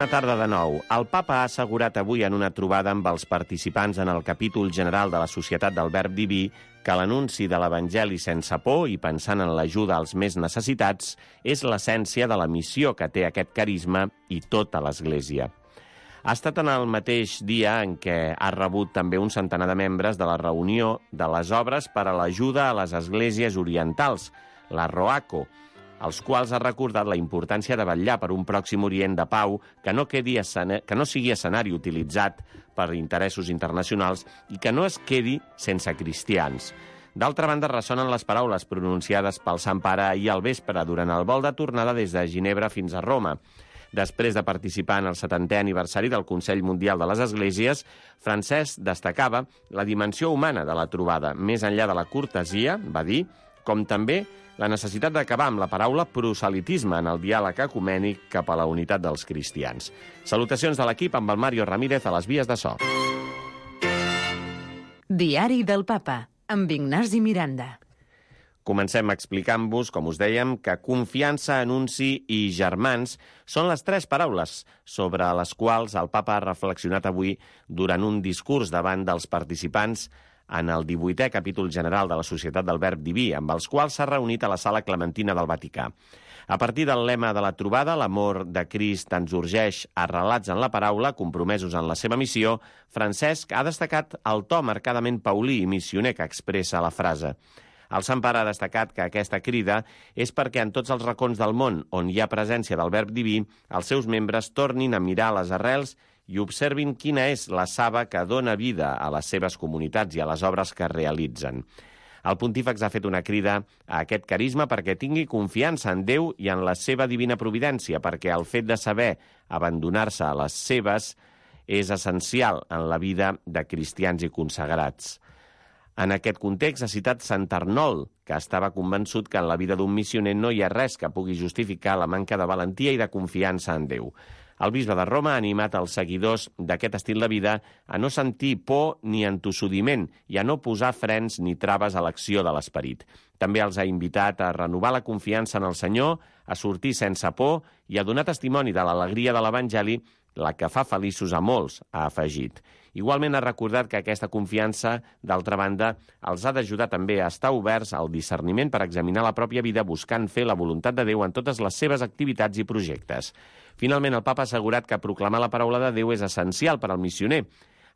Bona tarda de nou. El papa ha assegurat avui en una trobada amb els participants en el capítol general de la Societat del Verb Diví que l'anunci de l'Evangeli sense por i pensant en l'ajuda als més necessitats és l'essència de la missió que té aquest carisma i tota l'Església. Ha estat en el mateix dia en què ha rebut també un centenar de membres de la reunió de les obres per a l'ajuda a les esglésies orientals, la ROACO, als quals ha recordat la importància de vetllar per un Pròxim Orient de pau que no sigui escenari utilitzat per interessos internacionals i que no es quedi sense cristians. D'altra banda, ressonen les paraules pronunciades pel Sant Pare ahir al vespre durant el vol de tornada des de Ginebra fins a Roma. Després de participar en el 70è aniversari del Consell Mundial de les Esglésies, Francesc destacava la dimensió humana de la trobada, més enllà de la cortesia, va dir, com també la necessitat d'acabar amb la paraula proselitisme en el diàleg ecumènic cap a la unitat dels cristians. Salutacions de l'equip amb el Mario Ramírez a les vies de so. Diari del Papa, amb Ignasi Miranda. Comencem explicant-vos, com us dèiem, que confiança, anunci i germans són les tres paraules sobre les quals el Papa ha reflexionat avui durant un discurs davant dels participants en el 18è capítol general de la Societat del Verb Diví, amb els quals s'ha reunit a la Sala Clementina del Vaticà. A partir del lema de la trobada, l'amor de Crist ens urgeix arrelats en la paraula, compromesos en la seva missió, Francesc ha destacat el to marcadament paulí i missioner que expressa la frase. El Sant Pare ha destacat que aquesta crida és perquè en tots els racons del món on hi ha presència del Verb Diví, els seus membres tornin a mirar les arrels i observin quina és la saba que dona vida a les seves comunitats i a les obres que realitzen. El pontífex ha fet una crida a aquest carisma perquè tingui confiança en Déu i en la seva divina providència, perquè el fet de saber abandonar-se a les seves és essencial en la vida de cristians i consagrats. En aquest context ha citat Sant Arnold, que estava convençut que en la vida d'un missioner no hi ha res que pugui justificar la manca de valentia i de confiança en Déu. El bisbe de Roma ha animat els seguidors d'aquest estil de vida a no sentir por ni entossudiment i a no posar frens ni traves a l'acció de l'esperit. També els ha invitat a renovar la confiança en el Senyor, a sortir sense por i a donar testimoni de l'alegria de l'Evangeli, la que fa feliços a molts, ha afegit. Igualment ha recordat que aquesta confiança, d'altra banda, els ha d'ajudar també a estar oberts al discerniment per examinar la pròpia vida buscant fer la voluntat de Déu en totes les seves activitats i projectes. Finalment, el Papa ha assegurat que proclamar la paraula de Déu és essencial per al missioner,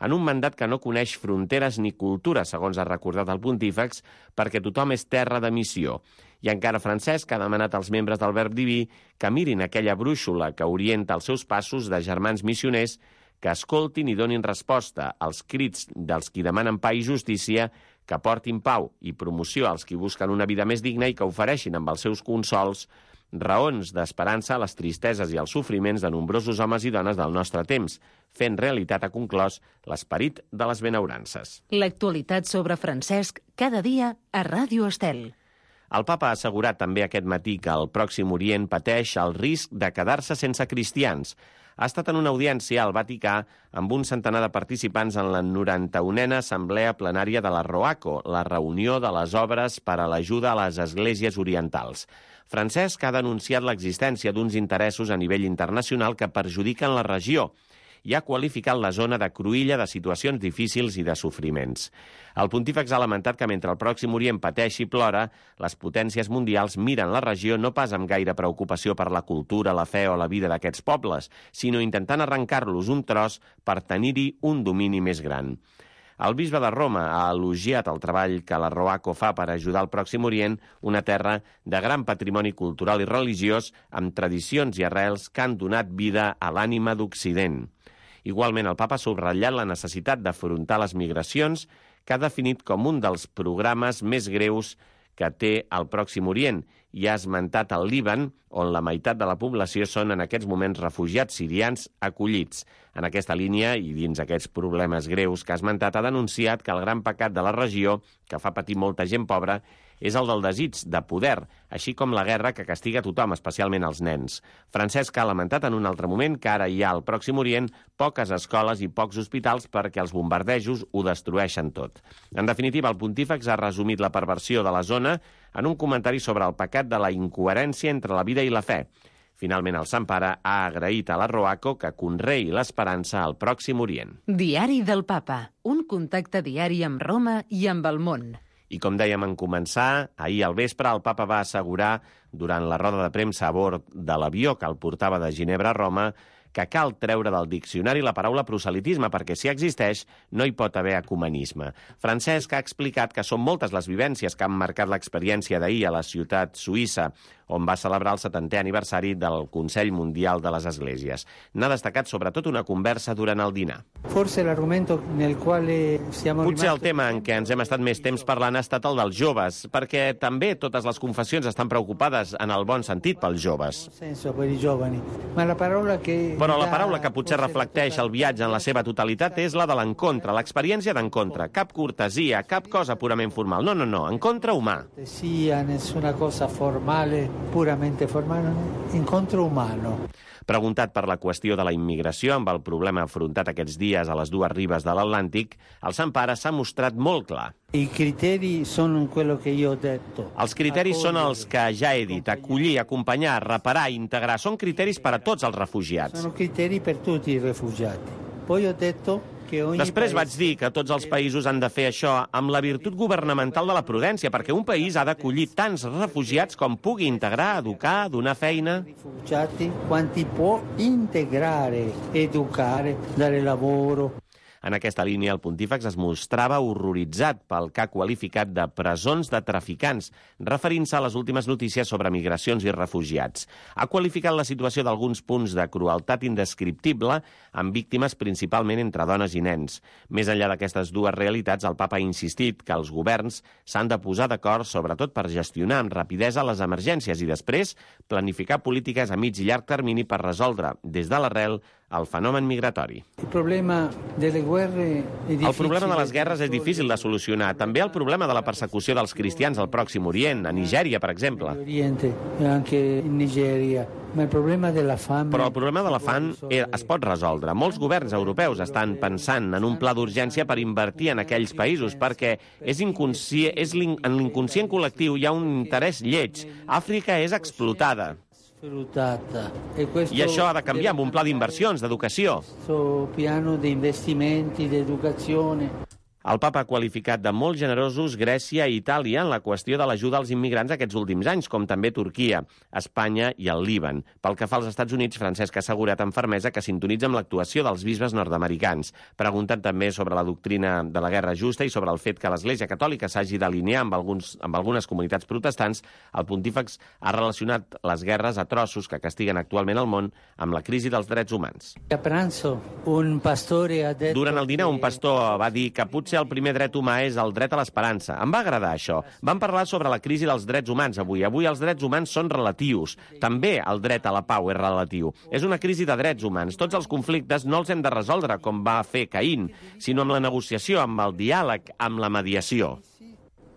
en un mandat que no coneix fronteres ni cultura, segons ha recordat el pontífex, perquè tothom és terra de missió. I encara Francesc ha demanat als membres del Verb Diví que mirin aquella brúixola que orienta els seus passos de germans missioners, que escoltin i donin resposta als crits dels qui demanen pa i justícia, que portin pau i promoció als qui busquen una vida més digna i que ofereixin amb els seus consols raons d'esperança a les tristeses i als sofriments de nombrosos homes i dones del nostre temps, fent realitat, ha conclòs, l'esperit de les benaurances. L'actualitat sobre Francesc cada dia a Ràdio Estel. El Papa ha assegurat també aquest matí que el Pròxim Orient pateix el risc de quedar-se sense cristians. Ha estat en una audiència al Vaticà amb un centenar de participants en la 91a Assemblea Plenària de la ROACO, la reunió de les obres per a l'ajuda a les esglésies orientals. Francesc ha denunciat l'existència d'uns interessos a nivell internacional que perjudiquen la regió i ha qualificat la zona de cruïlla de situacions difícils i de sofriments. El pontífex ha lamentat que mentre el Pròxim Orient pateix i plora, les potències mundials miren la regió no pas amb gaire preocupació per la cultura, la fe o la vida d'aquests pobles, sinó intentant arrencar-los un tros per tenir-hi un domini més gran. El bisbe de Roma ha elogiat el treball que la ROACO fa per ajudar el Pròxim Orient, una terra de gran patrimoni cultural i religiós, amb tradicions i arrels que han donat vida a l'ànima d'Occident. Igualment, el Papa ha subratllat la necessitat d'afrontar les migracions, que ha definit com un dels programes més greus que té el Pròxim Orient, i ha esmentat el Líban, on la meitat de la població són en aquests moments refugiats sirians acollits. En aquesta línia, i dins aquests problemes greus que ha esmentat, ha denunciat que el gran pecat de la regió, que fa patir molta gent pobra, és el del desig de poder, així com la guerra que castiga tothom, especialment els nens. Francesc ha lamentat en un altre moment que ara hi ha al Pròxim Orient poques escoles i pocs hospitals perquè els bombardejos ho destrueixen tot. En definitiva, el pontífex ha resumit la perversió de la zona en un comentari sobre el pecat de la incoherència entre la vida i la fe. Finalment, el Sant Pare ha agraït a la Roaco que conreï l'esperança al Pròxim Orient. Diari del Papa, un contacte diari amb Roma i amb el món. I com dèiem en començar, ahir al vespre el papa va assegurar durant la roda de premsa a bord de l'avió que el portava de Ginebra a Roma que cal treure del diccionari la paraula proselitisme perquè si existeix no hi pot haver ecumenisme. Francesc ha explicat que són moltes les vivències que han marcat l'experiència d'ahir a la ciutat suïssa on va celebrar el 70è aniversari del Consell Mundial de les Esglésies. N'ha destacat sobretot una conversa durant el dinar. Potser el tema en què ens hem estat més temps parlant ha estat el dels joves, perquè també totes les confessions estan preocupades en el bon sentit pels joves. Però la paraula que potser reflecteix el viatge en la seva totalitat és la de l'encontre, l'experiència d'encontre. Cap cortesia, cap cosa purament formal. No, encontre humà. Nessuna cosa formale, puramente formale, encontro umano. Preguntat per la qüestió de la immigració amb el problema afrontat aquests dies a les dues ribes de l'Atlàntic, el Sant Pare s'ha mostrat molt clar. I criteri sono quello che io ho detto. Els criteris són els que ja he dit: acollir, acompanyar, reparar, integrar. Són criteris per a tots els refugiats. Sono criteri per tutti i refugiati. Poi ho detto que ogni Després vaig dir que tots els països han de fer això amb la virtut governamental de la prudència, perquè un país ha d'acollir tants refugiats com pugui integrar, educar, donar feina. Rifugiati quanti può integrare, educare, dare lavoro. En aquesta línia, el pontífex es mostrava horroritzat pel que ha qualificat de presons de traficants, referint-se a les últimes notícies sobre migracions i refugiats. Ha qualificat la situació d'alguns punts de crueltat indescriptible, amb víctimes principalment entre dones i nens. Més enllà d'aquestes dues realitats, el papa ha insistit que els governs s'han de posar d'acord, sobretot per gestionar amb rapidesa les emergències i després planificar polítiques a mig i llarg termini per resoldre, des de l'arrel, el fenomen migratori. El problema de les guerres és difícil de solucionar. També el problema de la persecució dels cristians al Pròxim Orient, a Nigèria, per exemple. Però el problema de la fam es pot resoldre. Molts governs europeus estan pensant en un pla d'urgència per invertir en aquells països, perquè en l'inconscient col·lectiu hi ha un interès lleig. Àfrica és explotada. I això ha de canviar amb un pla d'inversions, d'educació. Piano di investimenti, di educazione. El papa ha qualificat de molt generosos Grècia i Itàlia en la qüestió de l'ajuda als immigrants aquests últims anys, com també Turquia, Espanya i el Líban. Pel que fa als Estats Units, Francesc ha assegurat amb fermesa que sintonitza amb l'actuació dels bisbes nord-americans, preguntant també sobre la doctrina de la guerra justa i sobre el fet que l'Església Catòlica s'hagi d'alinear amb algunes comunitats protestants. El pontífex ha relacionat les guerres atroços que castiguen actualment el món amb la crisi dels drets humans. Durant el dinar, un pastor va dir que potser el primer dret humà és el dret a l'esperança. Em va agradar això. Vam parlar sobre la crisi dels drets humans avui. Avui els drets humans són relatius. També el dret a la pau és relatiu. És una crisi de drets humans. Tots els conflictes no els hem de resoldre com va fer Caín, sinó amb la negociació, amb el diàleg, amb la mediació.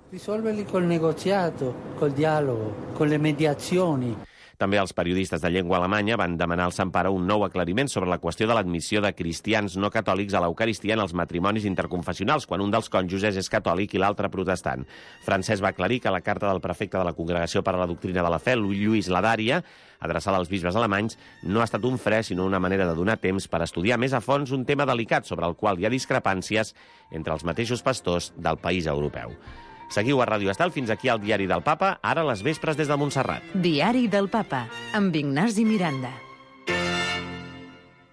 Risolverli col negoziato, col dialogo, con le mediazioni. També els periodistes de llengua alemanya van demanar al Sant Pare un nou aclariment sobre la qüestió de l'admissió de cristians no catòlics a l'Eucaristia en els matrimonis interconfessionals, quan un dels cònjuges és catòlic i l'altre protestant. Francesc va aclarir que la carta del prefecte de la Congregació per a la Doctrina de la Fe, Lluís Ladària, adreçada als bisbes alemanys, no ha estat un fre, sinó una manera de donar temps per estudiar més a fons un tema delicat sobre el qual hi ha discrepàncies entre els mateixos pastors del país europeu. Seguiu a Ràdio Estel, fins aquí al Diari del Papa, ara a les vespres des de Montserrat. Diari del Papa, amb Ignasi Miranda.